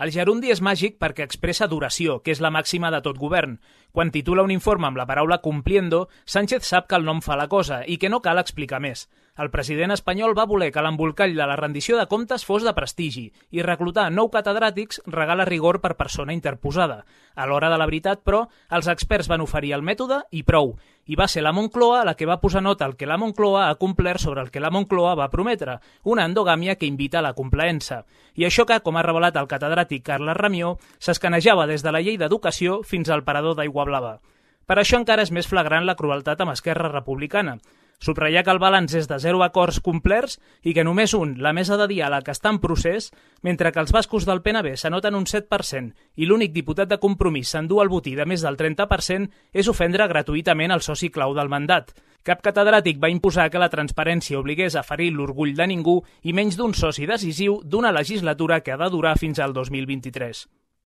El gerundi és màgic perquè expressa duració, que és la màxima de tot govern. Quan titula un informe amb la paraula cumpliendo, Sánchez sap que el nom fa la cosa i que no cal explicar més. El president espanyol va voler que l'embolcall de la rendició de comptes fos de prestigi i reclutar 9 catedràtics regala rigor per persona interposada. A l'hora de la veritat, però, els experts van oferir el mètode i prou. I va ser la Moncloa la que va posar nota al que la Moncloa ha complert sobre el que la Moncloa va prometre, una endogàmia que invita a la complaença. I això que, com ha revelat el catedràtic Carles Ramió, s'escanejava des de la llei d'educació fins al parador d'Aigua Blava. Per això encara és més flagrant la crueltat amb Esquerra Republicana. Subratllar que el balanç és de 0 acords complerts i que només un, la mesa de diàleg, està en procés, mentre que els bascos del PNB s'anoten un 7% i l'únic diputat de Compromís s'endú el botí de més del 30%, és ofendre gratuïtament el soci clau del mandat. Cap catedràtic va imposar que la transparència obligués a ferir l'orgull de ningú i menys d'un soci decisiu d'una legislatura que ha de durar fins al 2023.